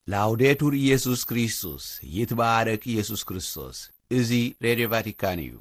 ላውዴቱር ኢየሱስ ክርስቶስ፣ ይትባረክ ኢየሱስ ክርስቶስ። እዚ ሬድዮ ቫቲካን እዩ።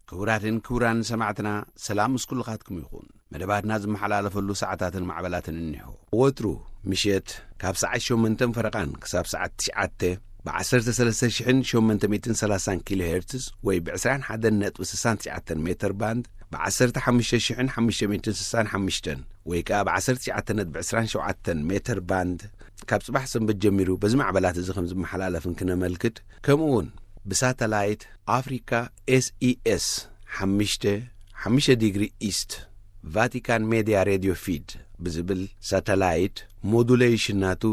ክቡራትን ክቡራን ሰማዕትና፣ ሰላም ምስ ኩልኻትኩም ይኹን። መደባትና ዝመሓላለፈሉ ሰዓታትን ማዕበላትን እኒሆ። ወትሩ ምሸት ካብ ሰዓት ሸሞንተን ፈረቓን ክሳብ ሰዓት ትሽዓተ ብ ዓሰርተ ሰለስተ ሽሕን ሸሞንተ ሚእትን ሰላሳን ኪሎ ሄርትዝ ወይ ብ ዕስራን ሓደን ነጥቢ ስሳን ትሽዓተን ሜተር ባንድ፣ ብ ዓሰርተ ሓሙሽተ ሽሕን ሓሙሽተ ሚእትን ስሳን ሓሙሽተን ወይ ከኣ ብ ዓሰርተ ትሽዓተ ነጥቢ ዕስራን ሸውዓተን ሜተር ባንድ፣ ካብ ጽባሕ ሰንበት ጀሚሩ በዚ ማዕበላት እዚ ከም ዝመሓላለፍን ክነመልክት፣ ከምኡ እውን ብሳተላይት ኣፍሪካ ኤስኢኤስ ሓሙሽተ፣ ሓሙሽተ ዲግሪ ኢስት፣ ቫቲካን ሜድያ ሬድዮ ፊድ ብዝብል ሳተላይት፣ ሞዱሌሽን ናቱ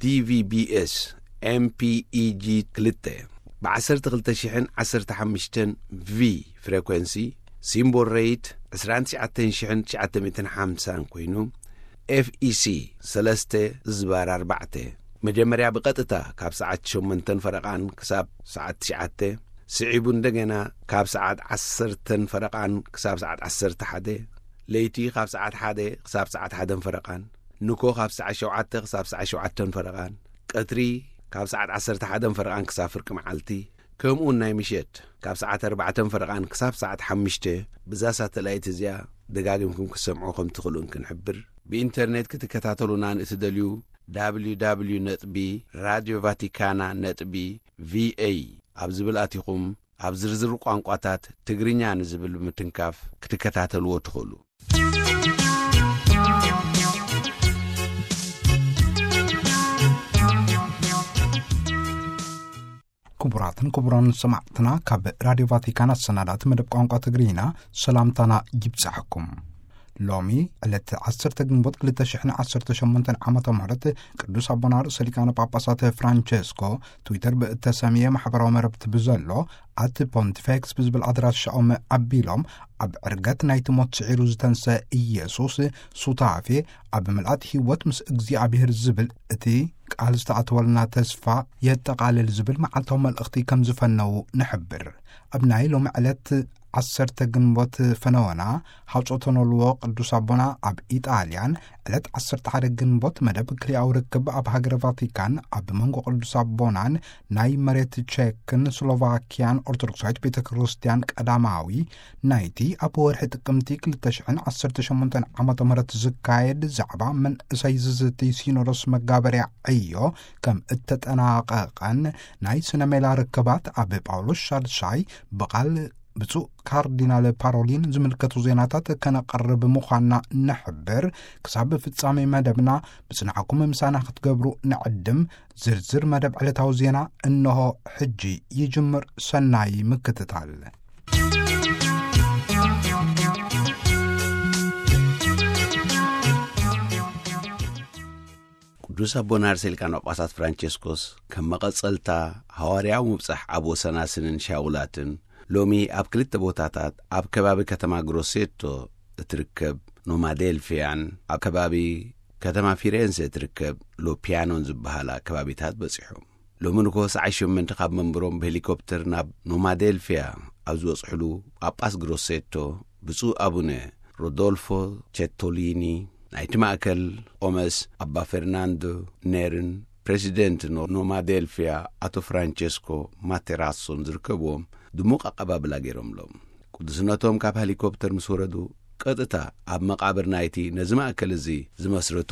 ዲቪቢኤስ ኤምፒኢጂ ክልተ፣ ብ ዓሰርተ ክልተ ሽሕን ዓሰርተ ሓሙሽተን ቪ ፍሬኮንሲ፣ ሲምቦል ሬት ዕስራን ትሽዓተን ሽሕን ትሽዓተ ሚእትን ሓምሳን ኮይኑ፣ ኤፍኢሲ ሰለስተ ዝባር ኣርባዕተ፣ መጀመርያ ብቐጥታ ካብ ሰዓት ሸሞንተን ፈረቓን ክሳብ ሰዓት ትሽዓተ፣ ስዒቡ እንደገና ካብ ሰዓት ዓሰርተን ፈረቓን ክሳብ ሰዓት ዓሰርተ ሓደ፣ ለይቲ ካብ ሰዓት ሓደ ክሳብ ሰዓት ሓደን ፈረቓን፣ ንኮ ካብ ሰዓት ሸውዓተ ክሳብ ሰዓት ሸውዓተን ፈረቓን፣ ቀትሪ ካብ ሰዓት ዓሰርተ ሓደን ፈረቓን ክሳብ ፍርቂ መዓልቲ፣ ከምኡውን ናይ ምሸት ካብ ሰዓት ኣርባዕተን ፈረቓን ክሳብ ሰዓት ሓሙሽተ፣ ብዛ ሳተላይት እዚኣ ደጋጊምኩም ክትሰምዑ ከም ትኽእሉን ክንሕብር። ብኢንተርኔት ክትከታተሉና ንእትደልዩ፣ www ነጥቢ ራድዮ ቫቲካና ነጥቢ ቪኤ ኣብ ዝብል ኣቲኹም፣ ኣብ ዝርዝር ቋንቋታት ትግርኛ ንዝብል ብምትንካፍ ክትከታተልዎ ትኽእሉ። ክቡራትን ክቡራን ሰማዕትና፣ ካብ ራድዮ ቫቲካን ኣሰናዳእቲ መደብ ቋንቋ ትግርኛ ሰላምታና ይብጻሕኩም። ሎሚ ዕለት ዓሰርተ ግንቦት ክልተ ሽሕን ዓሰርተ ሸሞንተን ዓመተ ምህረት ቅዱስ ኣቦና ርእሰ ሊቃነ ጳጳሳት ፍራንቸስኮ ትዊተር ብእተሰምየ ማሕበራዊ መረብቲ ብዘሎ ኣት ፖንቲፌክስ ብዝብል ኣድራሻኦም ኣቢሎም፣ ኣብ ዕርገት ናይቲ ሞት ስዒሩ ዝተንሰ ኢየሱስ ሱታፌ፣ ኣብ ምልኣት ህይወት ምስ እግዚኣብሔር ዝብል እቲ ቃል ዝተኣተወልና ተስፋ የጠቓልል ዝብል መዓልታዊ መልእኽቲ ከም ዝፈነዉ ንሕብር። ኣብ ናይ ሎሚ ዕለት ዓሰርተ ግንቦት ፈነወና፣ ሃውጾ ተነልዎ ቅዱስ ኣቦና ኣብ ኢጣልያን፣ ዕለት ዓሰርተ ሓደ ግንቦት መደብ ክልኣዊ ርክብ ኣብ ሃገረ ቫቲካን ኣብ መንጎ ቅዱስ ኣቦናን ናይ መሬት ቼክን ስሎቫኪያን ኦርቶዶክሳዊት ቤተ ክርስቲያን ቀዳማዊ ናይቲ ኣብ ወርሒ ጥቅምቲ ክልተ ሽሕን ዓሰርተ ሸሞንተን ዓመተ ምህረት ዝካየድ ዛዕባ መንእሰይ ዝዝቲ ሲኖዶስ መጋበርያ ዕዮ ከም እተጠናቐቐን ናይ ስነ ሜላ ርክባት ኣብ ጳውሎስ ሻድሻይ ብቓል ብፁዕ ካርዲናል ፓሮሊን ዝምልከቱ ዜናታት ከነቐርብ ምዃንና ንሕብር። ክሳብ ፍጻሜ መደብና ብጽንዓኩም ምሳና ክትገብሩ ንዕድም። ዝርዝር መደብ ዕለታዊ ዜና እንሆ ሕጂ ይጅምር። ሰናይ ምክትታል። ቅዱስ ኣቦና ርእሰ ሊቃነ ጳጳሳት ፍራንቸስኮስ ከም መቐጸልታ ሃዋርያዊ ምብጻሕ ኣብ ወሰናስንን ሻውላትን፣ ሎሚ ኣብ ክልተ ቦታታት፣ ኣብ ከባቢ ከተማ ግሮሴቶ እትርከብ ኖማዴልፊያን ኣብ ከባቢ ከተማ ፊሬንሴ እትርከብ ሎፒያኖን ዝበሃላ ከባቢታት በጺሖም። ሎሚ ንግሆ ሰዓት ሸሞንተ ካብ መንበሮም ብሄሊኮፕተር ናብ ኖማዴልፊያ ኣብ ዝበጽሕሉ፣ ጳጳስ ግሮሴቶ ብፁዕ ኣቡነ ሮዶልፎ ቼቶሊኒ፣ ናይቲ ማእከል ኦመስ ኣባ ፈርናንዶ ኔርን ፕሬዚደንት ኖ-፣ ኖማዴልፊያ ኣቶ ፍራንቸስኮ ማቴራሶን ዝርከብዎም ድሙቕ ኣቀባብላ ገይሮምሎም። ቅዱስነቶም ካብ ሄሊኮፕተር ምስ ወረዱ፣ ቀጥታ ኣብ መቓብር ናይቲ ነዚ ማእከል እዚ ዝመስረቱ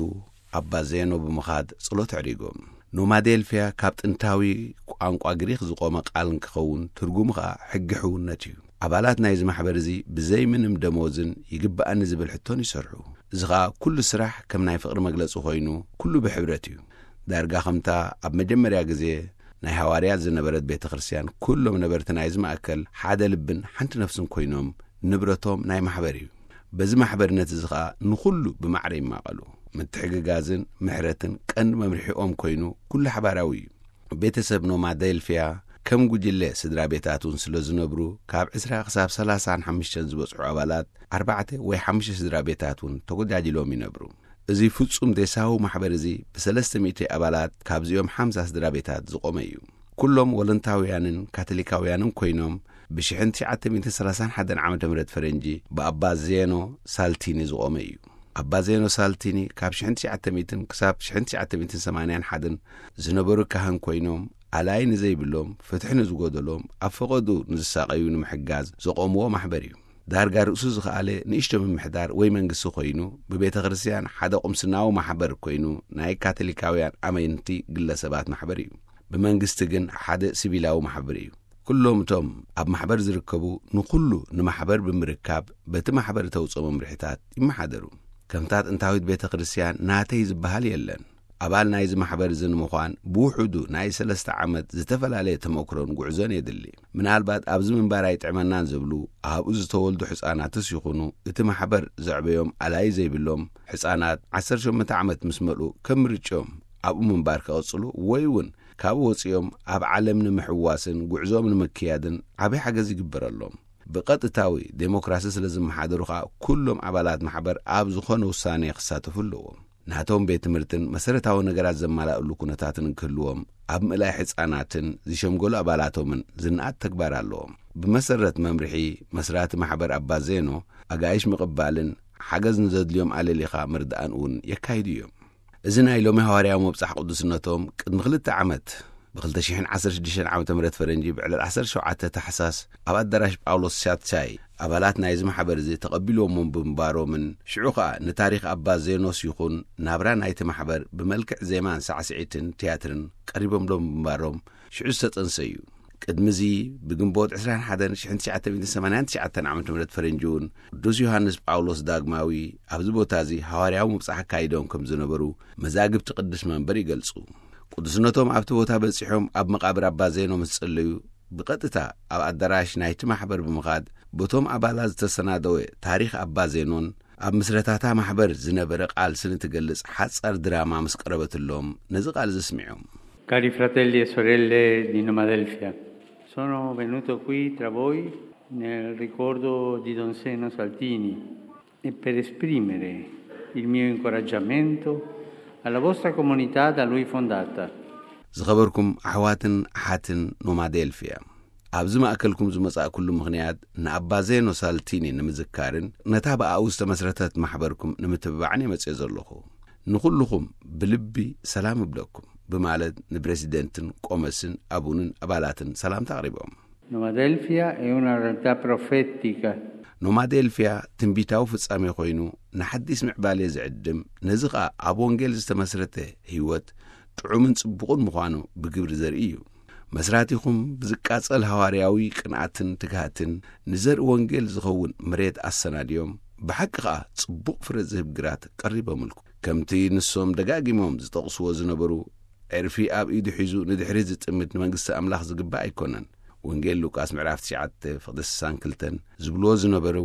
ኣባ ዜኖ ብምኻድ ጸሎት ኣዕሪጎም። ኖማዴልፊያ ካብ ጥንታዊ ቋንቋ ግሪኽ ዝቖመ ቃል እንክኸውን፣ ትርጉሙ ኸኣ ሕጊ ሕውነት እዩ። ኣባላት ናይዚ ማሕበር እዚ ብዘይ ምንም ደሞዝን ይግብኣኒ ዝብል ሕቶን ይሰርሑ። እዚ ኸኣ ኩሉ ስራሕ ከም ናይ ፍቕሪ መግለጺ ኮይኑ፣ ኩሉ ብሕብረት እዩ። ዳርጋ ከምታ ኣብ መጀመርያ ግዜ ናይ ሃዋርያት ዝነበረት ቤተ ክርስቲያን፣ ኩሎም ነበርቲ ናይዚ ማእከል ሓደ ልብን ሓንቲ ነፍስን ኮይኖም፣ ንብረቶም ናይ ማሕበር እዩ። በዚ ማሕበርነት እዚ ኸኣ ንኹሉ ብማዕረ ይማቐሉ። ምትሕግጋዝን ምሕረትን ቀንዲ መምርሒኦም ኮይኑ፣ ኩሉ ሓባራዊ እዩ። ቤተሰብ ኖማዴልፊያ ከም ጉጅለ ስድራ ቤታት እውን ስለ ዝነብሩ፣ ካብ ዕስራ ክሳብ ሰላሳን ሓሙሽተን ዝበጽሑ ኣባላት ኣርባዕተ ወይ ሓሙሽተ ስድራ ቤታት እውን ተጎጃጅሎም ይነብሩ። እዚ ፍጹም ዴሳዊ ማሕበር እዚ ብሰለስተ ሚእቲ ኣባላት ካብዚኦም ሓምሳ ስድራ ቤታት ዝቖመ እዩ። ኩሎም ወለንታውያንን ካቶሊካውያንን ኮይኖም፣ ብሽሕን ትሽዓተ ሚእትን ሰላሳን ሓደን ዓመተ ምህረት ፈረንጂ ብኣባ ዜኖ ሳልቲኒ ዝቖመ እዩ። ኣባ ዜኖ ሳልቲኒ ካብ ሽሕን ትሽዓተ ሚእትን ክሳብ ሽሕን ትሽዓተ ሚእትን ሰማንያን ሓደን ዝነበሩ ካህን ኮይኖም፣ ኣላይ ንዘይብሎም፣ ፍትሒ ንዝጎደሎም፣ ኣብ ፈቐዱ ንዝሳቐዩ ንምሕጋዝ ዘቖምዎ ማሕበር እዩ። ዳርጋ ርእሱ ዝኸኣለ ንእሽቶ ምምሕዳር ወይ መንግስቲ ኮይኑ፣ ብቤተ ክርስቲያን ሓደ ቁምስናዊ ማሕበር ኮይኑ፣ ናይ ካቶሊካውያን ኣመንቲ ግለሰባት ማሕበር እዩ። ብመንግስቲ ግን ሓደ ሲቪላዊ ማሕበር እዩ። ኩሎም እቶም ኣብ ማሕበር ዝርከቡ ንኹሉ ንማሕበር ብምርካብ በቲ ማሕበር እተውፅኦ መምርሒታት ይመሓደሩ። ከምታ ጥንታዊት ቤተ ክርስቲያን ናተይ ዝበሃል የለን። ኣባል ናይዚ ማሕበር እዚ ንምዃን ብውሑዱ ናይ ሰለስተ ዓመት ዝተፈላለየ ተመክሮን ጉዕዞን የድሊ። ምናልባት ኣብዚ ምንባር ኣይጥዕመናን ዝብሉ ኣብኡ ዝተወልዱ ሕፃናትስ ይኹኑ እቲ ማሕበር ዘዕበዮም ኣላይ ዘይብሎም ሕፃናት ዓሰርተ ሸሞንተ ዓመት ምስ መልኡ ከም ምርጭኦም ኣብኡ ምንባር ክቐጽሉ ወይ እውን ካብኡ ወጺኦም ኣብ ዓለም ንምሕዋስን ጉዕዞኦም ንምክያድን ዓቢ ሓገዝ ይግበረሎም። ብቐጥታዊ ዴሞክራሲ ስለ ዝመሓደሩ ኸኣ ኩሎም ኣባላት ማሕበር ኣብ ዝኾነ ውሳኔ ክሳተፉ ኣለዎም። ናቶም ቤት ትምህርትን መሰረታዊ ነገራት ዘማላእሉ ኩነታትን ክህልዎም ኣብ ምእላይ ሕፃናትን ዝሸምገሉ ኣባላቶምን ዝነኣድ ተግባር ኣለዎም። ብመሰረት መምርሒ መስራቲ ማሕበር ኣባ ዜኖ ኣጋይሽ ምቕባልን ሓገዝ ንዘድልዮም ኣለሊኻ ምርዳእን እውን የካይዱ እዮም። እዚ ናይ ሎሚ ሃዋርያዊ ምብጻሕ ቅዱስነቶም ቅድሚ ክልተ ዓመት ብ ክልተ ሽሕን ዓሰርተ ሽዱሽተን ዓመተ ምህረት ፈረንጂ ብዕለት ዓሰርተ ሸውዓተ ታሕሳስ ኣብ ኣዳራሽ ጳውሎስ ሻትሻይ ኣባላት ናይዚ ማሕበር እዚ ተቐቢልዎም ብምንባሮምን ሽዑ ኸኣ ንታሪኽ ኣባ ዜኖስ ይኹን ናብራ ናይቲ ማሕበር ብመልክዕ ዜማን ሳዕስዒትን ትያትርን ቀሪቦምሎም ብምንባሮም ሽዑ ዝተጠንሰ እዩ። ቅድሚ እዚ ብግንቦት ዕስራን ሓደን ሽሕን ትሽዓተ ሚእትን ሰማንያን ትሽዓተን ዓመተ ምህረት ፈረንጂ እውን ቅዱስ ዮሃንስ ጳውሎስ ዳግማዊ ኣብዚ ቦታ እዚ ሃዋርያዊ ምብጻሕ ኣካይዶም ከም ዝነበሩ መዛግብቲ ቅዱስ መንበር ይገልጹ። ቅዱስነቶም ኣብቲ ቦታ በጺሖም ኣብ መቓብር ኣባ ዜኖ ምስ ጸለዩ ብቐጥታ ኣብ ኣዳራሽ ናይቲ ማሕበር ብምኻድ በቶም ኣባላት ዝተሰናደወ ታሪኽ ኣባ ዜኖን ኣብ ምስረታታ ማሕበር ዝነበረ ቃልስን እትገልጽ ሓጻር ድራማ ምስ ቀረበትሎም ነዚ ቃል ዘስሚዖም። Cari fratelli e sorelle di Nomadelfia, sono venuto qui tra voi nel ricordo di Don Seno Saltini e per esprimere il mio incoraggiamento alla vostra comunità da lui fondata. ዝኸበርኩም ኣሕዋትን ኣሓትን ኖማዴልፊያ፣ ኣብዚ ማእከልኩም ዝመጻእኩሉ ምኽንያት ንኣባ ዜኖ ሳልቲኒ ንምዝካርን ነታ ብኣኡ ዝተመስረተት ማሕበርኩም ንምትብባዕን እየ መጽየ ዘለኹ። ንኹልኹም ብልቢ ሰላም እብለኩም ብማለት ንፕሬዚደንትን ቆመስን ኣቡንን ኣባላትን ሰላምታ ኣቕሪቦም። Nomadelfia è una realtà profetica. ኖማዴልፊያ ትንቢታዊ ፍጻሜ ኮይኑ ንሓዲስ ምዕባሌ ዝዕድም፣ ነዚ ኸኣ ኣብ ወንጌል ዝተመስረተ ህይወት ጥዑምን ጽቡቕን ምዃኑ ብግብሪ ዘርኢ እዩ። መስራቲኹም ብዝቃጸል ሃዋርያዊ ቅንኣትን ትግሃትን ንዘርኢ ወንጌል ዝኸውን መሬት ኣሰናድዮም፣ ብሓቂ ኸኣ ጽቡቕ ፍረ ዝህብ ግራት ቀሪቦምልኩም። ከምቲ ንሶም ደጋጊሞም ዝጠቕስዎ ዝነበሩ፣ ዕርፊ ኣብ ኢዱ ሒዙ ንድሕሪት ዝጥምት ንመንግስቲ ኣምላኽ ዝግባእ ኣይኮነን። ወንጌል ሉቃስ ምዕራፍ ትሽዓተ ፍቕዲ ስሳን ክልተን ዝብልዎ ዝነበሩ፣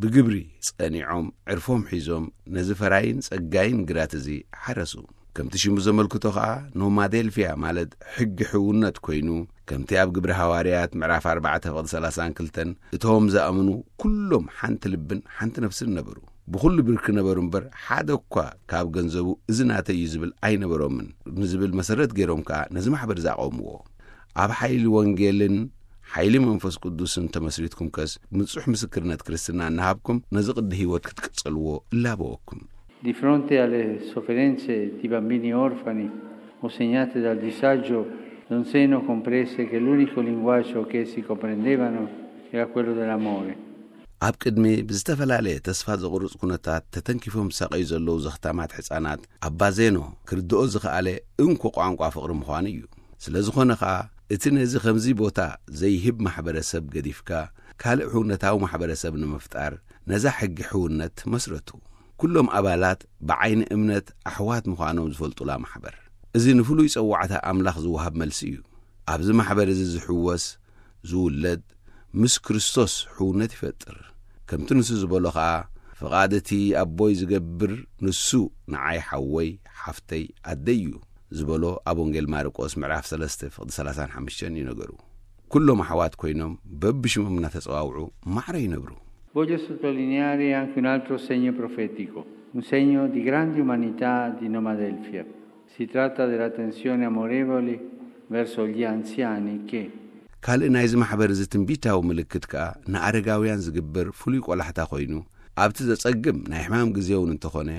ብግብሪ ጸኒዖም ዕርፎም ሒዞም ነዚ ፈራይን ጸጋይን ግራት እዚ ሓረሱ። ከምቲ ሽሙ ዘመልክቶ ኸኣ ኖማዴልፊያ ማለት ሕጊ ሕውነት ኮይኑ፣ ከምቲ ኣብ ግብሪ ሃዋርያት ምዕራፍ ኣርባዕተ ፍቕዲ ሰላሳን ክልተን እቶም ዝኣምኑ ኩሎም ሓንቲ ልብን ሓንቲ ነፍስን ነበሩ። ብኹሉ ብርኪ ነበሩ እምበር፣ ሓደ እኳ ካብ ገንዘቡ እዚ ናተይ እዩ ዝብል ኣይነበሮምን። ንዝብል መሰረት ገይሮም ከኣ ነዚ ማሕበር ዝኣቐምዎ። ኣብ ሓይሊ ወንጌልን ሓይሊ መንፈስ ቅዱስን ተመስሪትኩም ከስ፣ ንጹሕ ምስክርነት ክርስትና እናሃብኩም ነዚ ቅዲ ህይወት ክትቅጽልዎ እላበወኩም። Di fronte alle sofferenze di bambini orfani o segnate dal disagio, Don Zeno comprese che l'unico linguaggio che si comprendevano era quello dell'amore. ኣብ ቅድሚ ብዝተፈላለየ ተስፋ ዘቑርጽ ኩነታት ተተንኪፎም ዝሳቐዩ ዘለዉ ዘኽታማት ሕጻናት፣ ኣባ ዜኖ ክርድኦ ዝኸኣለ እንኮ ቋንቋ ፍቕሪ ምዃኑ እዩ። ስለ ዝኾነ ኸኣ፣ እቲ ነዚ ከምዚ ቦታ ዘይህብ ማሕበረሰብ ገዲፍካ፣ ካልእ ሕውነታዊ ማሕበረሰብ ንምፍጣር፣ ነዛ ሕጊ ሕውነት መስረቱ። ኩሎም ኣባላት ብዓይኒ እምነት ኣሕዋት ምዃኖም ዝፈልጡላ ማሕበር። እዚ ንፍሉይ ጸዋዕታ ኣምላኽ ዝወሃብ መልሲ እዩ። ኣብዚ ማሕበር እዚ ዝሕወስ፣ ዝውለድ፣ ምስ ክርስቶስ ሕውነት ይፈጥር። ከምቲ ንሱ ዝበሎ ኸኣ፣ ፍቓድ እቲ ኣቦይ ዝገብር ንሱ ንዓይ ሓወይ፣ ሓፍተይ፣ ኣደይ እዩ። ዝበሎ ኣብ ወንጌል ማርቆስ ምዕራፍ ሰለስተ ፍቕዲ ሰላሳን ሓሙሽተን እዩ ነገሩ። ኩሎም ኣሕዋት ኮይኖም በብሽሞም እናተጸዋውዑ ማዕረ ይነብሩ። Voglio sottolineare anche un altro segno profetico, un segno di grande umanità di Noma Adelphi. Si tratta dell'attenzione amorevole verso gli anziani che ካልእ ናይዚ ማሕበር እዚ ትንቢታዊ ምልክት ከኣ ንኣረጋውያን ዝግበር ፍሉይ ቆላሕታ ኮይኑ፣ ኣብቲ ዘጸግም ናይ ሕማም ግዜ እውን እንተኾነ፣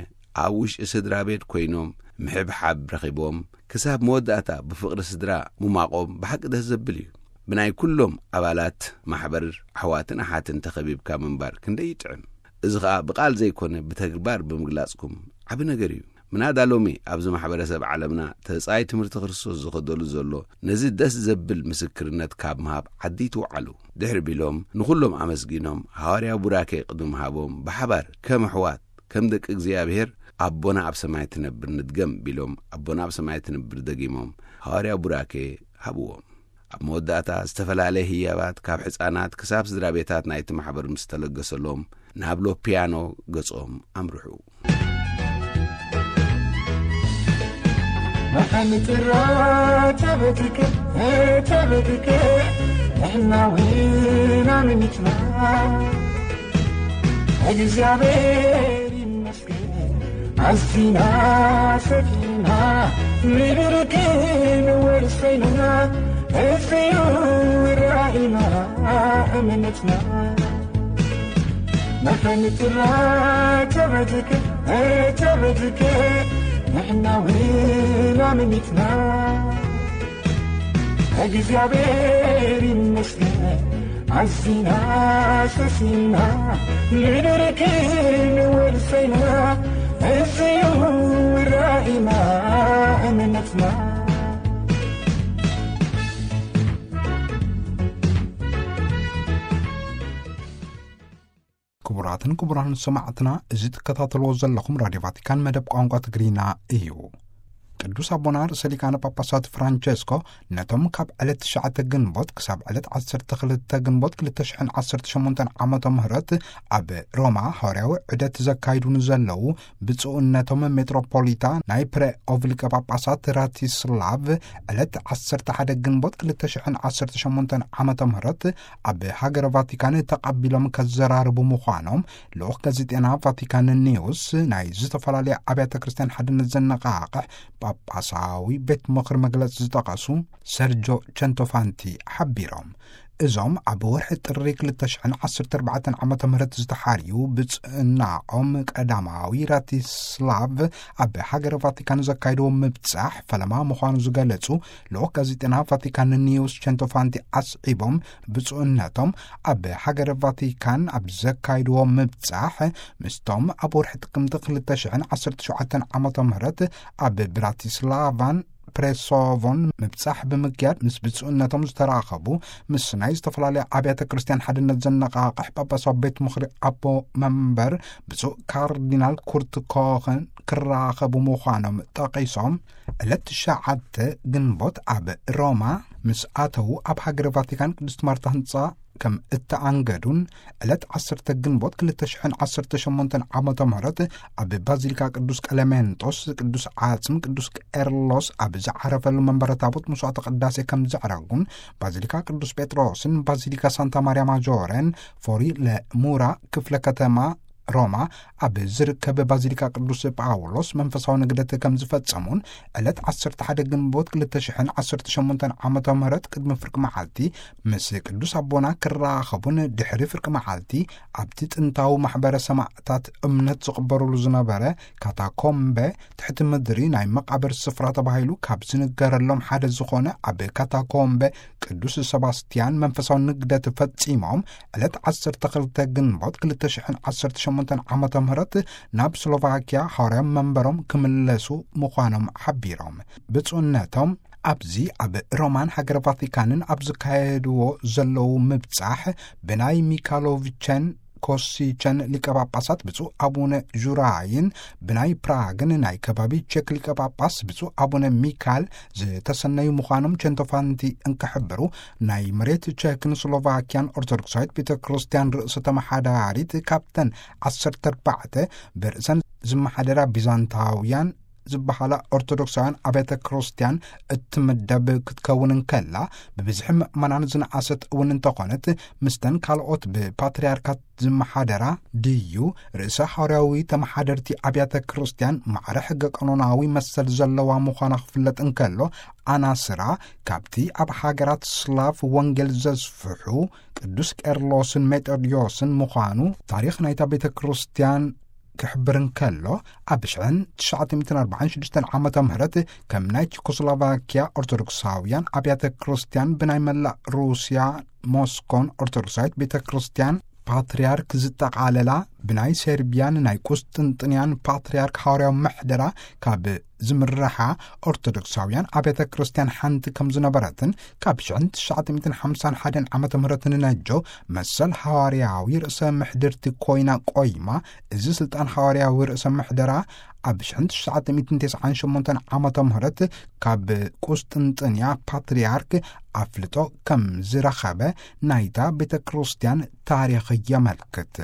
ኣብ ውሽጢ ስድራ ቤት ኮይኖም ምሕብሓብ ረኺቦም፣ ክሳብ መወዳእታ ብፍቕሪ ስድራ ምማቖም ብሓቂ ደስ ዘብል እዩ። ብናይ ኩሎም ኣባላት ማሕበር ኣሕዋትን ኣሓትን ተኸቢብካ ምንባር ክንደይ ይጥዕም። እዚ ኸኣ ብቓል ዘይኮነ ብተግባር ብምግላጽኩም ዓቢ ነገር እዩ። ምናዳ ሎሚ ኣብዚ ማሕበረሰብ ዓለምና ተጻይ ትምህርቲ ክርስቶስ ዝኸደሉ ዘሎ ነዚ ደስ ዘብል ምስክርነት ካብ ምሃብ ዓዲ ይትውዓሉ። ድሕሪ ቢሎም ንኹሎም ኣመስጊኖም ሃዋርያ ቡራኬ ቅድሚ ምሃቦም ብሓባር ከም ኣሕዋት ከም ደቂ እግዚኣብሔር ኣቦና ኣብ ሰማይ ትነብር ንድገም ቢሎም ኣቦና ኣብ ሰማይ ትነብር ደጊሞም ሃዋርያ ቡራኬ ሃብዎም። ኣብ መወዳእታ ዝተፈላለየ ህያባት ካብ ሕፃናት ክሳብ ስድራ ቤታት ናይቲ ማሕበር ምስ ተለገሰሎም ናብ ሎፒያኖ ገጾም ኣምርሑ። መሓን ጥራ ተበትከ ተበትከ ንሕና እውን ኣመኒትና እግዚኣብሔር ይመስገን ኣዚና ሰፊና ምድርክን ወርሰይና እዚዩ ራእይና እምነትና መሓን ጥራ ተበትከ ተበትከ ንሕና እውን ኣመኒትና እግዚኣብሔር ይመስገን ኣዚና ሰሲና ምድርክን ወርሰይና እዚዩ ራእይና እምነትና። ክቡራትን ክቡራን ሰማዕትና፣ እዚ ትከታተልዎ ዘለኹም ራድዮ ቫቲካን መደብ ቋንቋ ትግርኛ እዩ። ቅዱስ ኣቦና ርእሰ ሊቃነ ጳጳሳት ፍራንቸስኮ ነቶም ካብ ዕለት ትሽዓተ ግንቦት ክሳብ ዕለት ዓሰርተ ክልተ ግንቦት ክልተ ሽሕን ዓሰርተ ሸሞንተን ዓመተ ምህረት ኣብ ሮማ ሃዋርያዊ ዑደት ዘካይዱ ንዘለዉ ብፁዕነቶም ሜትሮፖሊታ ናይ ፕሬኦቭ ሊቀ ጳጳሳት ራቲስላቭ ዕለት ዓሰርተ ሓደ ግንቦት ክልተ ሽሕን ዓሰርተ ሸሞንተን ዓመተ ምህረት ኣብ ሃገረ ቫቲካን ተቐቢሎም ከዘራርቡ ምዃኖም ልኡኽ ጋዜጤና ቫቲካን ኒውስ ናይ ዝተፈላለያ ኣብያተ ክርስቲያን ሓድነት ዘነቓቕሕ ጳጳሳዊ ቤት ምኽሪ መግለጺ ዝጠቐሱ ሰርጆ ቸንቶፋንቲ ሓቢሮም። እዞም ኣብ ወርሒ ጥሪ ክልተ ሽሕን ዓሰርተ ኣርባዕተን ዓመተ ምህረት ዝተሓርዩ ብጽእናኦም ቀዳማዊ ራቲስላቭ ኣብ ሃገረ ቫቲካን ዘካየድዎ ምብጻሕ ፈለማ ምዃኑ ዝገለጹ ልኡኽ ጋዜጠና ቫቲካን ኒውስ ቸንቶፋንቲ ኣስዒቦም፣ ብፁዕነቶም ኣብ ሃገረ ቫቲካን ኣብ ዘካየድዎ ምብጻሕ ምስቶም ኣብ ወርሒ ጥቅምቲ ክልተ ሽሕን ዓሰርተ ሸውዓተን ዓመተ ምህረት ኣብ ብራቲስላቫን ፕሬሶቮን ምብጻሕ ብምክያድ ምስ ብፁዕነቶም ዝተራኸቡ፣ ምስ ናይ ዝተፈላለያ ኣብያተ ክርስቲያን ሓድነት ዘነቓቕሕ ጳጳሳዊ ቤት ምኽሪ ኣቦ መንበር ብፁዕ ካርዲናል ኩርት ኮኸን ክራኸቡ ምዃኖም ጠቒሶም፣ ዕለት ትሽዓተ ግንቦት ኣብ ሮማ ምስ ኣተዉ ኣብ ሃገረ ቫቲካን ቅድስት ማርታ ህንጻ ከም እተኣንገዱን ዕለት ዓሰርተ ግንቦት ክልተ ሽሕን ዓሰርተ ሸሞንተን ዓመተ ምህረት ኣብ ባዚሊካ ቅዱስ ቀለሜንጦስ ቅዱስ ዓጽም ቅዱስ ቄርሎስ ኣብ ዝዓረፈሉ መንበረ ታቦት መስዋዕተ ቅዳሴ ከም ዘዕረጉን ባዚሊካ ቅዱስ ጴጥሮስን ባዚሊካ ሳንታ ማርያ ማጆሬን ፎሪ ለሙራ ክፍለ ከተማ ሮማ ኣብ ዝርከብ ባዚሊካ ቅዱስ ጳውሎስ መንፈሳዊ ንግደት ከም ዝፈጸሙን ዕለት ዓሰርተ ሓደ ግንቦት ክልተ ሽሕን ዓሰርተ ሸሞንተን ዓመተ ምህረት ቅድሚ ፍርቂ መዓልቲ ምስ ቅዱስ ኣቦና ክራኸቡን ድሕሪ ፍርቂ መዓልቲ ኣብቲ ጥንታዊ ማሕበረ ሰማዕታት እምነት ዝቕበሩሉ ዝነበረ ካታኮምበ ትሕቲ ምድሪ ናይ መቓብር ስፍራ ተባሂሉ ካብ ዝንገረሎም ሓደ ዝኾነ ኣብ ካታኮምበ ቅዱስ ሰባስቲያን መንፈሳዊ ንግደት ፈጺሞም ዕለት ዓሰርተ ክልተ ግንቦት ክልተ ሽሕን ዓሰርተ ሸሞንተን ዓመተ ምህረት ናብ ስሎቫኪያ ሃዋርያዊ መንበሮም ክምለሱ ምዃኖም ሓቢሮም። ብፁዕነቶም ኣብዚ ኣብ ሮማን ሃገረ ቫቲካንን ኣብ ዝካየድዎ ዘለዉ ምብጻሕ ብናይ ሚካሎቪቸን ኮሲቸን ሊቀ ጳጳሳት ብፁዕ ኣቡነ ዡራይን ብናይ ፕራግን ናይ ከባቢ ቼክ ሊቀ ጳጳስ ብፁዕ ኣቡነ ሚካል ዝተሰነዩ ምዃኖም ቸንቶፋንቲ እንክሕብሩ፣ ናይ መሬት ቼክን ስሎቫኪያን ኦርቶዶክሳዊት ቤተ ክርስቲያን ርእሰ ተመሓዳሪት ካብተን ዓሰርተ ኣርባዕተ ብርእሰን ዝመሓደራ ቢዛንታውያን ዝበሃላ ኦርቶዶክሳውያን ኣብያተ ክርስቲያን እትምደብ ክትከውን እንከላ፣ ብብዝሒ ምእመናን ዝነኣሰት እውን እንተኾነት፣ ምስተን ካልኦት ብፓትርያርካት ዝመሓደራ ድዩ ርእሰ ሓዋርያዊ ተመሓደርቲ ኣብያተ ክርስቲያን ማዕረ ሕገ ቀኖናዊ መሰል ዘለዋ ምዃና ክፍለጥ እንከሎ፣ ኣናስራ ካብቲ ኣብ ሃገራት ስላፍ ወንጌል ዘስፍሑ ቅዱስ ቄርሎስን ሜጦድዮስን ምዃኑ ታሪኽ ናይታ ቤተ ክርስቲያን ክሕብር እንከሎ፣ ኣብ ሽሕን ትሽዓተ ሚእትን ኣርባዓን ሽዱሽተን ዓመተ ምህረት ከም ናይ ቸኮስሎቫኪያ ኦርቶዶክሳውያን ኣብያተ ክርስቲያን ብናይ መላእ ሩስያ ሞስኮን ኦርቶዶክሳዊት ቤተ ክርስቲያን ፓትርያርክ ዝጠቓለላ፣ ብናይ ሴርቢያን ናይ ቁስጥንጥንያን ፓትርያርክ ሓዋርያዊ ምሕደራ ካብ ዝምርሓ ኦርቶዶክሳውያን ኣብያተ ክርስቲያን ሓንቲ ከም ዝነበረትን፣ ካብ ሽሕን ትሽዓተ ሚእትን ሓምሳን ሓደን ዓመተ ምህረት ንነጀው መሰል ሓዋርያዊ ርእሰ ምሕድርቲ ኮይና ቆይማ፣ እዚ ስልጣን ሓዋርያዊ ርእሰ ምሕደራ ኣብ ሽሕን ትሽዓተ ሚእትን ተስዓን ሸሞንተን ዓመተ ምህረት ካብ ቁስጥንጥንያ ፓትርያርክ ኣፍልጦ ከም ዝረኸበ ናይታ ቤተ ክርስቲያን ታሪኽ የመልክት።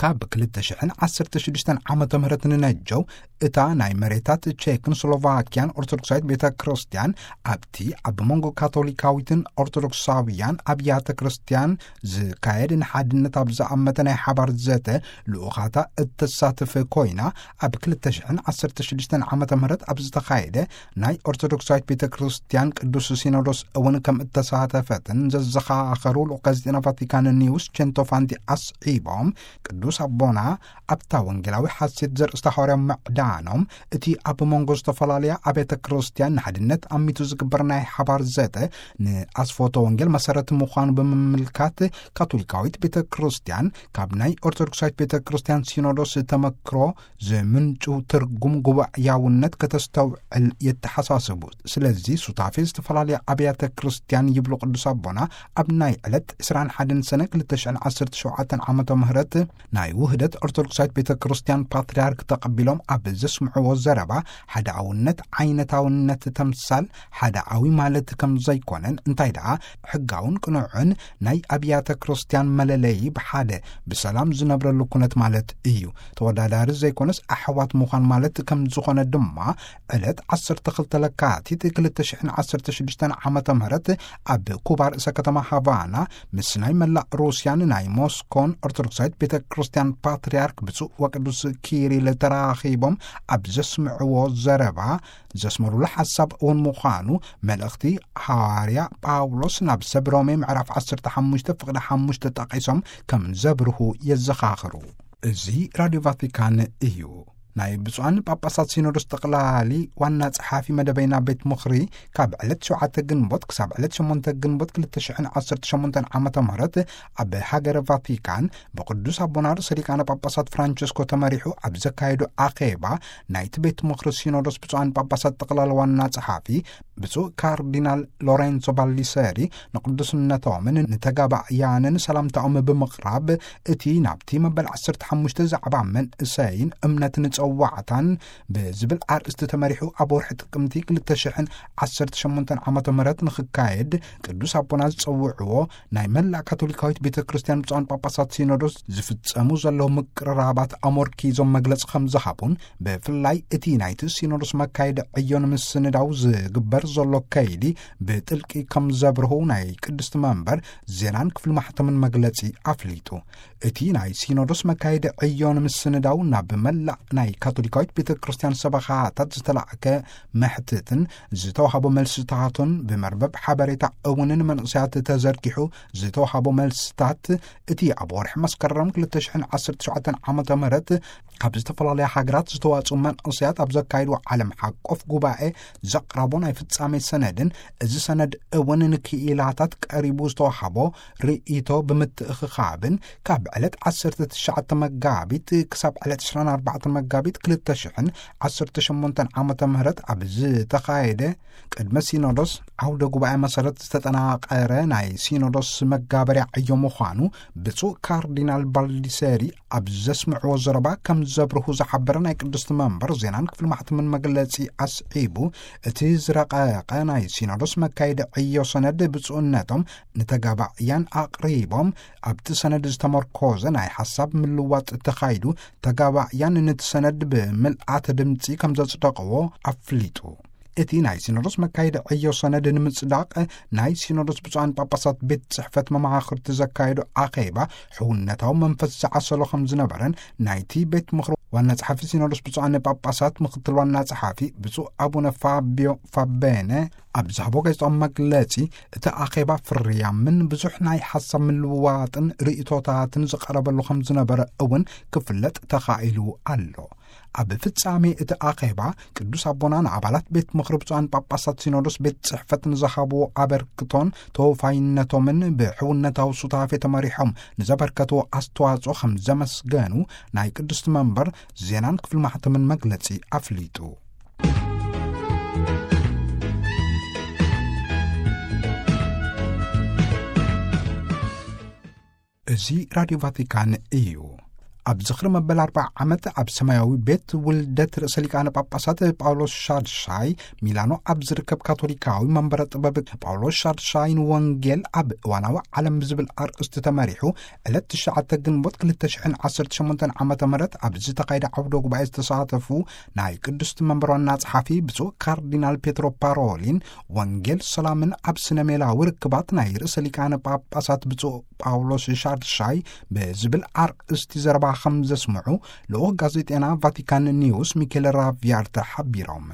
ካብ ክልተ ሽሕን ዓሰርተ ሽዱሽተን ዓመተ ምህረት ንነጀው እታ ናይ መሬታት ቼክን ስሎቫኪያን ኦርቶዶክሳዊት ቤተ ክርስቲያን ኣብቲ ኣብ መንጎ ካቶሊካዊትን ኦርቶዶክሳውያን ኣብያተ ክርስቲያን ዝካየድ ንሓድነት ኣብ ዝኣመተ ናይ ሓባር ዘተ ልኡኻታ እተሳትፍ ኮይና፣ ኣብ ክልተ ሽሕን ዓሰርተ ሽዱሽተን ዓመተ ምህረት ኣብ ዝተኻየደ ናይ ኦርቶዶክሳዊት ቤተ ክርስቲያን ቅዱስ ሲኖዶስ እውን ከም እተሳተፈትን ዘዘኻኸሩ ልኡኽ ጋዜጠና ቫቲካን ኒውስ ቸንቶፋንቲ ኣስዒቦም፣ ቅዱስ ኣቦና ኣብታ ወንጌላዊ ሓሴት ዘርእስታ ሓዋርያዊ ምዕዳኖም፣ እቲ ኣብ መንጎ ዝተፈላለያ ኣብያተ ክርስቲያን ንሓድነት ኣሚቱ ዝግበር ናይ ሓባር ዘተ ንኣስፎቶ ወንጌል መሰረት ምዃኑ ብምምልካት፣ ካቶሊካዊት ቤተ ክርስቲያን ካብ ናይ ኦርቶዶክሳዊት ቤተ ክርስቲያን ሲኖዶስ ተመክሮ ዝምንጩ ትርጉም ጉባኤያውነት ከተስተውዕል የተሓሳስቡ። ስለዚ ሱታፌ ዝተፈላለያ ኣብያተ ክርስቲያን ይብሉ ቅዱስ ኣቦና፣ ኣብ ናይ ዕለት ዕስራን ሓደን ሰነ ክልተ ሽሕን ዓሰርተ ሸውዓተን ዓመተ ምህረት ናይ ውህደት ኦርቶዶክሳዊት ቤተ ክርስቲያን ፓትርያርክ ተቐቢሎም ኣብ ዘስምዕዎ ዘረባ፣ ሓዳውነት ዓይነታውነት ተምሳል ሓዳዊ ማለት ከም ዘይኮነን፣ እንታይ ደኣ ሕጋውን ቅኑዕን ናይ ኣብያተ ክርስቲያን መለለዪ ብሓደ ብሰላም ዝነብረሉ ኩነት ማለት እዩ። ተወዳዳሪ ዘይኮነስ ኣሕዋት ምዃን ማለት ከም ዝኾነ ድማ ዕለት ዓሰርተ ክልተ ለካቲት ክልተ ሽሕን ዓሰርተ ሽዱሽተን ዓመተ ምህረት ኣብ ኩባ ርእሰ ከተማ ሃቫና ምስ ናይ መላእ ሩስያን ናይ ሞስኮን ኦርቶዶክሳዊት ቤተ ክርስቲያን ፓትርያርክ ብፁዕ ወቅዱስ ኪሪል ተራኺቦም ኣብ ዘስምዕዎ ዘረባ፣ ዘስመሩሉ ሓሳብ እውን ምዃኑ መልእኽቲ ሃዋርያ ጳውሎስ ናብ ሰብ ሮሜ ምዕራፍ ዓሰርተ ሓሙሽተ ፍቕዲ ሓሙሽተ ጠቒሶም ከም ዘብርሁ የዘኻኽሩ። እዚ ራድዮ ቫቲካን እዩ። ናይ ብፁዓን ጳጳሳት ሲኖዶስ ጠቕላሊ ዋና ጸሓፊ መደበይና ቤት ምኽሪ ካብ ዕለት ሸውዓተ ግንቦት ክሳብ ዕለት ሸሞንተ ግንቦት ክልተ ሽሕን ዓሰርተ ሸሞንተን ዓመተ ምህረት ኣብ ሃገረ ቫቲካን ብቅዱስ ኣቦና ርእሰ ሊቃነ ጳጳሳት ፍራንቸስኮ ተመሪሑ ኣብ ዘካየዱ ኣኼባ፣ ናይቲ ቤት ምኽሪ ሲኖዶስ ብፁዓን ጳጳሳት ጠቕላሊ ዋና ጸሓፊ ብፁዕ ካርዲናል ሎሬንሶ ባልዲሰሪ ንቅዱስነቶምን ንተጋባእያንን ሰላምታኦም ብምቕራብ፣ እቲ ናብቲ መበል ዓሰርተ ሓሙሽተ ዛዕባ መንእሰይን እምነትን ጸዋዕታን ብዝብል ኣርእስቲ ተመሪሑ ኣብ ወርሒ ጥቅምቲ ክልተ ሽሕን ዓሰርተ ሸሞንተን ዓመተ ምህረት ንኽካየድ ቅዱስ ኣቦና ዝጸውዕዎ ናይ መላእ ካቶሊካዊት ቤተ ክርስቲያን ብፁዓን ጳጳሳት ሲኖዶስ ዝፍጸሙ ዘለዉ ምቅርራባት ኣሞርኪዞም መግለጺ ከም ዝሃቡን፣ ብፍላይ እቲ ናይቲ ሲኖዶስ መካየዲ ዕዮ ንምስንዳው ዝግበር ዘሎ ከይዲ ብጥልቂ ከም ዘብርሁ ናይ ቅድስቲ መንበር ዜናን ክፍሊ ማሕተምን መግለጺ ኣፍሊጡ። እቲ ናይ ሲኖዶስ መካየዲ ዕዮ ንምስንዳው ናብ መላእ ናይ ካቶሊካዊት ቤተ ክርስቲያን ሰበኻታት ዝተላዕከ መሕትትን ዝተዋህቦ መልስታቱን ብመርበብ ሓበሬታ እውን ንመንእሰያት ተዘርጊሑ ዝተዋህቦ መልስታት፣ እቲ ኣብ ወርሒ መስከረም ክልተ ሽሕን ዓሰርተ ሸውዓተን ዓመተ ምህረት ካብ ዝተፈላለያ ሃገራት ዝተዋጽኡ መንእሰያት ኣብ ዘካየድዎ ዓለም ሓቆፍ ጉባኤ ዘቕረቦ ናይ ፍጻሜ ሰነድን፣ እዚ ሰነድ እውን ንክኢላታት ቀሪቡ ዝተዋህቦ ርእይቶ ብምትእኽኻብን፣ ካብ ዕለት ዓሰርተ ትሽዓተ መጋቢት ክሳብ ዕለት ዕስራን ኣርባዕተን መጋቢት ክልተ ሽሕን ዓሰርተ ሸሞንተን ዓመተ ምህረት ኣብ ዝተኻየደ ቅድመ ሲኖዶስ ዓውደ ጉባኤ መሰረት ዝተጠናቐረ ናይ ሲኖዶስ መጋበርያ ዕዮ ምዃኑ ብፁዕ ካርዲናል ባልዲሰሪ ኣብ ዘስምዕዎ ዘረባ ከም ዘብርሁ ዝሓበረ ናይ ቅድስቲ መንበር ዜናን ክፍሊ ማሕተምን መግለጺ ኣስዒቡ፣ እቲ ዝረቐቐ ናይ ሲኖዶስ መካየዲ ዕዮ ሰነድ ብፁዕነቶም ንተጋባእያን ኣቕሪቦም፣ ኣብቲ ሰነድ ዝተመርኮዘ ናይ ሓሳብ ምልዋጥ ተኻይዱ፣ ተጋባእያን ነቲ ሰነድ ሰነድ ብምልኣተ ድምፂ ከም ዘጽደቕዎ ኣፍሊጡ። እቲ ናይ ሲኖዶስ መካየዲ ዕዮ ሰነድ ንምጽዳቕ ናይ ሲኖዶስ ብፁዓን ጳጳሳት ቤት ጽሕፈት መማኽርቲ ዘካየዱ ኣኼባ ሕውነታዊ መንፈስ ዝዓሰሎ ከም ዝነበረን ናይቲ ቤት ምኽሪ ዋና ጸሓፊ ሲኖዶስ ብፁዓን ጳጳሳት ምኽትል ዋና ጸሓፊ ብፁዕ ኣቡነ ፋቢዮ ፋቤነ ኣብ ዝሃቦ ጋዜጣዊ መግለጺ እቲ ኣኼባ ፍርያምን ብዙሕ ናይ ሓሳብ ምልውዋጥን ርእይቶታትን ዝቐረበሉ ከም ዝነበረ እውን ክፍለጥ ተኻኢሉ ኣሎ። ኣብ ፍጻሜ እቲ ኣኼባ ቅዱስ ኣቦና ንኣባላት ቤት ምኽሪ ብፁዓን ጳጳሳት ሲኖዶስ ቤት ጽሕፈት ንዝሃብዎ ኣበርክቶን ተወፋይነቶምን ብሕውነታዊ ሱታፌ ተመሪሖም ንዘበርከትዎ ኣስተዋጽኦ ከም ዘመስገኑ ናይ ቅድስቲ መንበር ዜናን ክፍሊ ማሕተምን መግለጺ ኣፍሊጡ። እዚ ራድዮ ቫቲካን እዩ። ኣብ ዝኽሪ መበል ኣርብዓ ዓመት ኣብ ሰማያዊ ቤት ውልደት ርእሰ ሊቃነ ጳጳሳት ጳውሎስ ሻድሻይ ሚላኖ ኣብ ዝርከብ ካቶሊካዊ መንበረ ጥበብ ጳውሎስ ሻድሻይ ንወንጌል ኣብ እዋናዊ ዓለም ብዝብል ኣርእስቲ ተመሪሑ ዕለት ትሽዓተ ግንቦት ክልተ ሽሕን ዓሰርተ ሸሞንተን ዓመተ ምህረት ኣብ ዝተኻየደ ዓውደ ጉባኤ ዝተሳተፉ ናይ ቅድስቲ መንበር ዋና ጸሓፊ ብፁዕ ካርዲናል ፔትሮ ፓሮሊን ወንጌል ሰላምን ኣብ ስነ ሜላዊ ርክባት ናይ ርእሰ ሊቃነ ጳጳሳት ብፁዕ ጳውሎስ ሻድሻይ ብዝብል ኣርእስቲ ዘረባ ከም ዘስምዑ ልኡኽ ጋዜጠና ቫቲካን ኒውስ ሚኬል ራቪያርተ ሓቢሮም።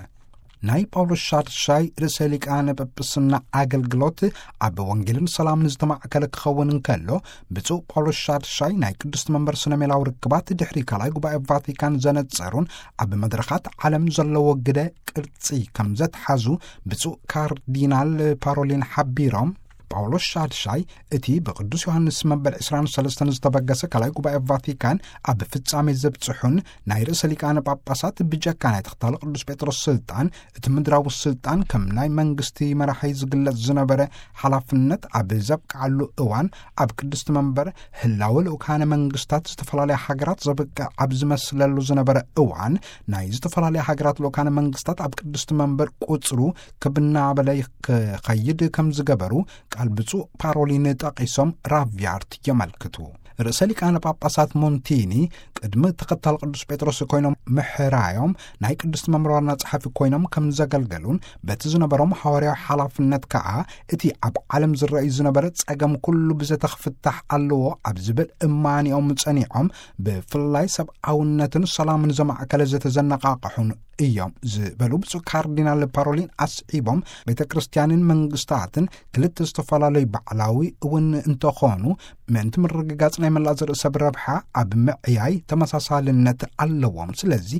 ናይ ጳውሎስ ሻድሻይ ርእሰ ሊቃነ ጳጳስና ኣገልግሎት ኣብ ወንጌልን ሰላምን ዝተማእከለ ክኸውን እንከሎ፣ ብፁዕ ጳውሎስ ሻድሻይ ናይ ቅድስቲ መንበር ስነ ሜላዊ ርክባት ድሕሪ ካልኣይ ጉባኤ ቫቲካን ዘነጸሩን ኣብ መድረኻት ዓለም ዘለዎ ግደ ቅርጺ ከም ዘትሓዙ ብፁዕ ካርዲናል ፓሮሊን ሓቢሮም፣ ጳውሎስ ሻድሻይ እቲ ብቅዱስ ዮሃንስ መበል ዕስራን ሰለስተን ዝተበገሰ ካልኣይ ጉባኤ ቫቲካን ኣብ ፍጻሜ ዘብጽሑን ናይ ርእሰ ሊቃነ ጳጳሳት ብጀካ ናይ ተኽታሊ ቅዱስ ጴጥሮስ ስልጣን እቲ ምድራዊ ስልጣን ከም ናይ መንግስቲ መራሒ ዝግለጽ ዝነበረ ሓላፍነት ኣብ ዘብቅዓሉ እዋን ኣብ ቅድስቲ መንበር ህላወ ልኡካነ መንግስታት ዝተፈላለያ ሃገራት ዘብቅዕ ኣብ ዝመስለሉ ዝነበረ እዋን ናይ ዝተፈላለያ ሃገራት ልኡካነ መንግስታት ኣብ ቅድስቲ መንበር ቁጽሩ ክብ እናበለ ክኸይድ ከም ዝገበሩ ቃል ብፁዕ ፓሮሊን ጠቒሶም ራቪያርት የመልክቱ። ርእሰ ሊቃነ ጳጳሳት ሞንቲኒ ቅድሚ ተኸታል ቅዱስ ጴጥሮስ ኮይኖም ምሕራዮም ናይ ቅድስቲ መንበር ዋና ጸሓፊ ኮይኖም ከም ዘገልገሉን በቲ ዝነበሮም ሃዋርያዊ ሓላፍነት ከኣ እቲ ኣብ ዓለም ዝረኣዩ ዝነበረ ጸገም ኩሉ ብዘተ ክፍታሕ ኣለዎ ኣብ ዝብል እማኒኦም ጸኒዖም ብፍላይ ሰብኣውነትን ሰላምን ዘማእከለ ዘተዘነቃቕሑን እዮም ዝበሉ ብፁዕ ካርዲናል ፓሮሊን ኣስዒቦም፣ ቤተ ክርስቲያንን መንግስታትን ክልተ ዝተፈላለዩ ባዕላዊ እውን እንተኾኑ ምእንቲ ምርግጋጽ ናይ መላእ ዘርኢ ሰብ ረብሓ ኣብ ምዕያይ ተመሳሳልነት ኣለዎም። ስለዚ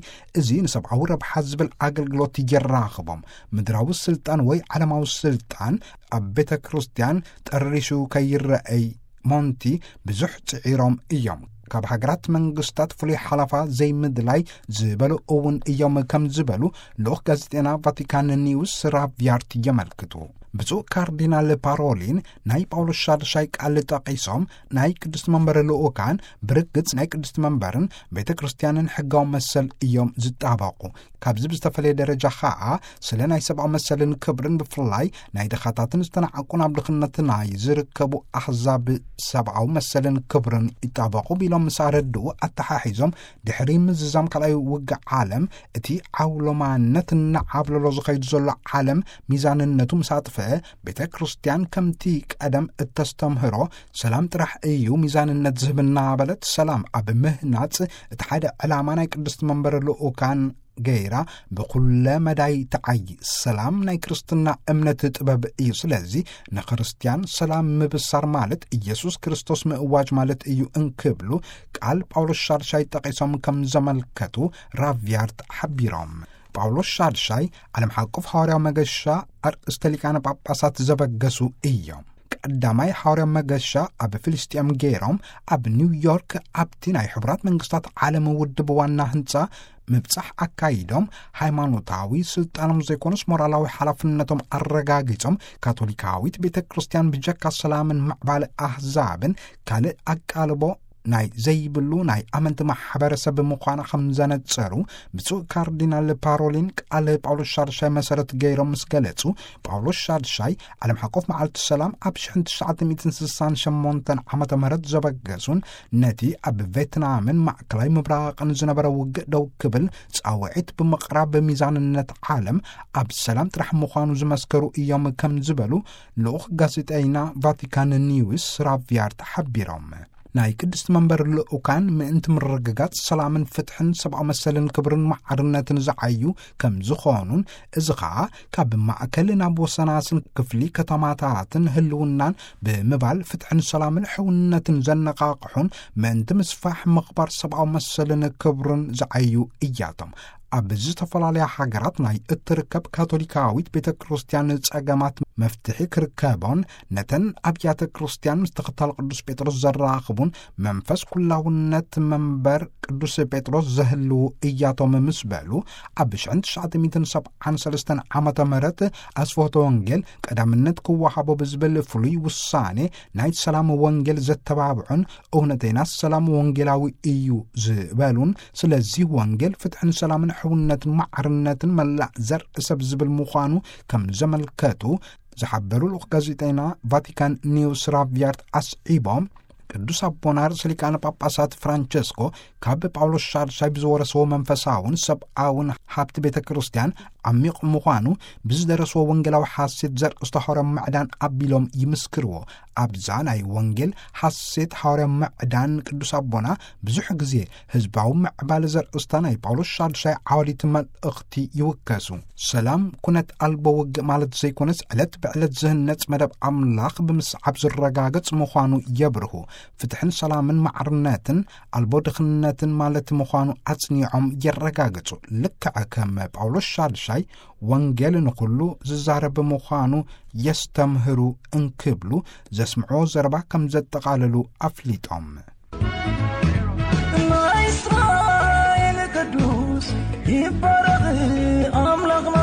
እዚ ንሰብኣዊ ረብሓ ዝብል ኣገልግሎት የራኽቦም። ምድራዊ ስልጣን ወይ ዓለማዊ ስልጣን ኣብ ቤተ ክርስቲያን ጠሪሹ ከይረኣይ ሞንቲ ብዙሕ ጽዒሮም እዮም። ካብ ሃገራት መንግስታት ፍሉይ ሓላፋ ዘይምድላይ ዝበሉ እውን እዮም ከም ዝበሉ ልኡኽ ጋዜጠና ቫቲካን ኒውስ ራቪያርት የመልክቱ። ብፁዕ ካርዲናል ፓሮሊን ናይ ጳውሎስ ሻድሻይ ቃል ጠቒሶም ናይ ቅድስቲ መንበር ልኡካን ብርግጽ ናይ ቅድስቲ መንበርን ቤተ ክርስቲያንን ሕጋዊ መሰል እዮም ዝጣበቑ። ካብዚ ብዝተፈለየ ደረጃ ኸኣ ስለ ናይ ሰብኣዊ መሰልን ክብርን ብፍላይ ናይ ድኻታትን ዝተናዕቁን ኣብ ድኽነት ናይ ዝርከቡ ኣሕዛብ ሰብኣዊ መሰልን ክብርን ይጣበቑ ቢሎም ምስ ኣረድኡ ኣተሓሒዞም ድሕሪ ምዝዛም ካልኣይ ውግእ ዓለም እቲ ዓውሎማነት እናዓብለሎ ዝኸይድ ዘሎ ዓለም ሚዛንነቱ ምስ ኣጥፍአ ቤተ ክርስቲያን ከምቲ ቀደም እተስተምህሮ ሰላም ጥራሕ እዩ ሚዛንነት ዝህብና በለት። ሰላም ኣብ ምህናጽ እቲ ሓደ ዕላማ ናይ ቅድስቲ መንበር ልኡካን ገይራ ብኩለ መዳይ ተዓይ። ሰላም ናይ ክርስትና እምነት ጥበብ እዩ። ስለዚ ንክርስቲያን ሰላም ምብሳር ማለት ኢየሱስ ክርስቶስ ምእዋጅ ማለት እዩ እንክብሉ ቃል ጳውሎስ ሻድሻይ ጠቒሶም ከም ዘመልከቱ ራቪያርት ሓቢሮም። ጳውሎስ ሻድሻይ ዓለም ሓቁፍ ሃዋርያዊ መገሻ ኣርእስተ ሊቃነ ጳጳሳት ዘበገሱ እዮም። ቀዳማይ ሓዋርያዊ መገሻ ኣብ ፍልስጤም ገይሮም ኣብ ኒውዮርክ ኣብቲ ናይ ሕቡራት መንግስታት ዓለም ውድብ ዋና ህንጻ ምብጻሕ ኣካይዶም ሃይማኖታዊ ስልጣኖም ዘይኮኑስ ሞራላዊ ሓላፍነቶም ኣረጋጊጾም ካቶሊካዊት ቤተ ክርስቲያን ብጀካ ሰላምን ምዕባለ ኣህዛብን ካልእ ኣቃልቦ ናይ ዘይብሉ ናይ ኣመንቲ ማሕበረሰብ ምዃና ከም ዘነጸሩ ብፁዕ ካርዲናል ፓሮሊን ቃል ጳውሎስ ሻድሻይ መሰረት ገይሮም ምስ ገለጹ፣ ጳውሎስ ሻድሻይ ዓለም ሓቆፍ መዓልቲ ሰላም ኣብ ሽሕን ትሽዓተ ሚእትን ስሳን ሸሞንተን ዓመተ ምህረት ዘበገሱን ነቲ ኣብ ቬትናምን ማእከላይ ምብራቕን ዝነበረ ውግእ ደው ክብል ጻውዒት ብምቕራብ፣ ሚዛንነት ዓለም ኣብ ሰላም ጥራሕ ምዃኑ ዝመስከሩ እዮም ከም ዝበሉ ልኡኽ ጋዜጠይና ቫቲካን ኒውስ ራቪያርት ሓቢሮም። ናይ ቅድስቲ መንበር ልኡካን ምእንቲ ምርግጋጽ ሰላምን ፍትሕን ሰብኣዊ መሰልን ክብርን ማዕርነትን ዝዓዩ ከም ዝኾኑን፣ እዚ ኸኣ ካብ ማእከል ናብ ወሰናስን ክፍሊ ከተማታትን ህልውናን ብምባል ፍትሕን ሰላምን ሕውነትን ዘነቓቕሑን ምእንቲ ምስፋሕ ምኽባር ሰብኣዊ መሰልን ክብርን ዝዓዩ እያቶም። ኣብ ዝተፈላለያ ሃገራት ናይ እትርከብ ካቶሊካዊት ቤተ ክርስቲያን ጸገማት መፍትሒ ክርከቦን፣ ነተን ኣብያተ ክርስቲያን ምስ ተኸታል ቅዱስ ጴጥሮስ ዘራኽቡን መንፈስ ኩላውነት መንበር ቅዱስ ጴጥሮስ ዘህልዉ እያቶም ምስ በሉ፣ ኣብ ሽሕን ትሽዓተ ሚእትን ሰብዓን ሰለስተን ዓመተ ምህረት ኣስፍሆተ ወንጌል ቀዳምነት ክወሃቦ ብዝብል ፍሉይ ውሳኔ ናይ ሰላም ወንጌል ዘተባብዑን፣ እውነተይና ሰላም ወንጌላዊ እዩ ዝበሉን፣ ስለዚህ ወንጌል ፍትሕን ሰላምን ሕውነትን ማዕርነትን መላእ ዘርኢ ሰብ ዝብል ምዃኑ ከም ዘመልከቱ ዝሓበሩ ልኡኽ ጋዜጠይና ቫቲካን ኒውስ ራቪያርት ኣስዒቦም፣ ቅዱስ ኣቦና ርእሰ ሊቃነ ጳጳሳት ፍራንቸስኮ ካብ ጳውሎስ ሻድሻይ ብዝወረስዎ መንፈሳውን ሰብኣውን ሃብቲ ቤተ ክርስቲያን ዓሚቕ ምዃኑ፣ ብዝደረስዎ ወንጌላዊ ሓሴት ዘርእስቶ ሓዋርያዊ ምዕዳን ኣቢሎም ይምስክርዎ። ኣብዛ ናይ ወንጌል ሓሴት ሓዋርያዊ ምዕዳን ቅዱስ ኣቦና ብዙሕ ግዜ ህዝባዊ ምዕባለ ዘርእስታ ናይ ጳውሎስ ሻድሻይ ዓወዲት መልእኽቲ ይውከሱ። ሰላም ኩነት ኣልቦ ውግእ ማለት ዘይኮነስ፣ ዕለት ብዕለት ዝህነጽ መደብ ኣምላኽ ብምስዓብ ዝረጋገጽ ምዃኑ የብርሁ። ፍትሕን ሰላምን ማዕርነትን ኣልቦ ድኽነትን ማለት ምዃኑ ኣጽኒዖም የረጋግጹ። ልክዕ ከም ጳውሎስ ሻድሻይ ወንጌል ንኹሉ ዝዛረብ ምዃኑ የስተምህሩ እንክብሉ ዘስምዕዎ ዘረባ ከም ዘጠቓለሉ ኣፍሊጦም። ናይ እስራኤል ቅዱስ ይባረኽ ኣምላኽና፣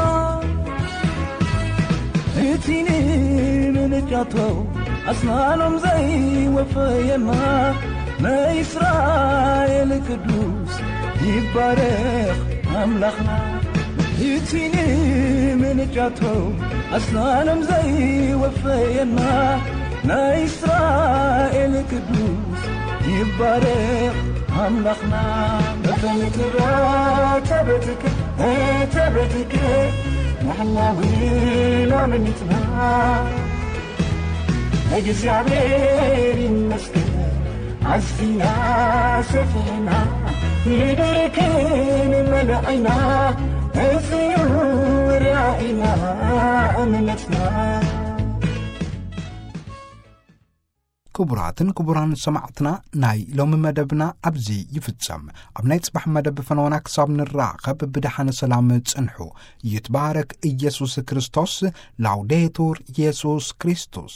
እቲ ንምንጫቶ ኣስናኖም ዘይወፈየና። ናይ እስራኤል ቅዱስ ይባረኽ ኣምላኽና፣ እቲ ንምንጫቶ ኣስናኖም ዘይወፈየና። ናይ እስራኤል ቅዱስ ይባረኽ ኣምላኽና። በተንክራ ተበትክ ተበትክ ንሕና ዊና ምኒትና። እግዚኣብሔር ይመስገን ኣዝና ሰፊሕና፣ ምድርክን መለዒና፣ እዚዩ ራእይና እምነትና። ክቡራትን ክቡራን ሰማዕትና፣ ናይ ሎሚ መደብና ኣብዚ ይፍጸም። ኣብ ናይ ጽባሕ መደብ ፈነወና ክሳብ ንራኸብ ብደሓነ ሰላም ጽንሑ። ይትባረክ ኢየሱስ ክርስቶስ። ላውዴቱር ኢየሱስ ክርስቶስ።